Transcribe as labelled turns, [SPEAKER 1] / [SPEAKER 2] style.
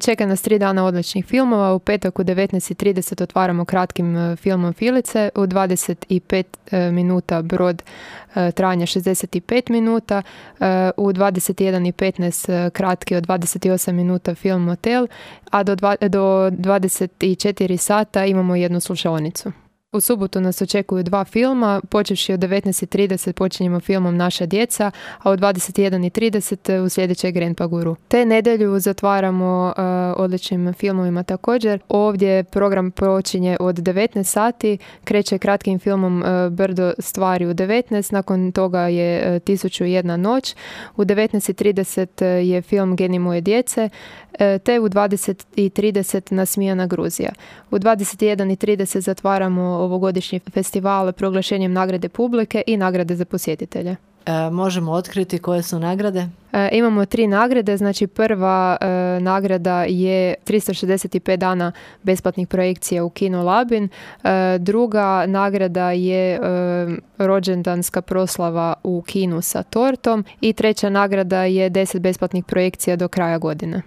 [SPEAKER 1] Čeka nas 3 dana odličnih filmova. U petak u 19:30 otvaramo kratkim filmom Filice. U 25 minuta Brod trajanja 65 minuta. U 21:15 kratki od 28 minuta film Motel. A do 24 sata imamo jednu slušaonicu. U subotu nas očekuju 2 filma, počevši od 19:30 počinjemo filmom Naša djeca, a u 21:30 uslijedit Grandpa Guru. Te nedjelju zatvaramo odličnim filmovima također. Ovdje program počinje od 19 sati, kreće kratkim filmom Brdo stvari u 19, nakon toga je 1001 noć, u 19:30 je film Geni moje djece, te u 20:30 Nasmijana Gruzija. U 21:30 zatvaramo ovogodišnji festival proglašenjem nagrade publike i nagrade za posjetitelje.
[SPEAKER 2] Možemo otkriti koje su nagrade?
[SPEAKER 1] Imamo 3 nagrade, znači prva nagrada je 365 dana besplatnih projekcija u Kino Labin, druga nagrada je rođendanska proslava u kinu sa tortom i treća nagrada je 10 besplatnih projekcija do kraja godine.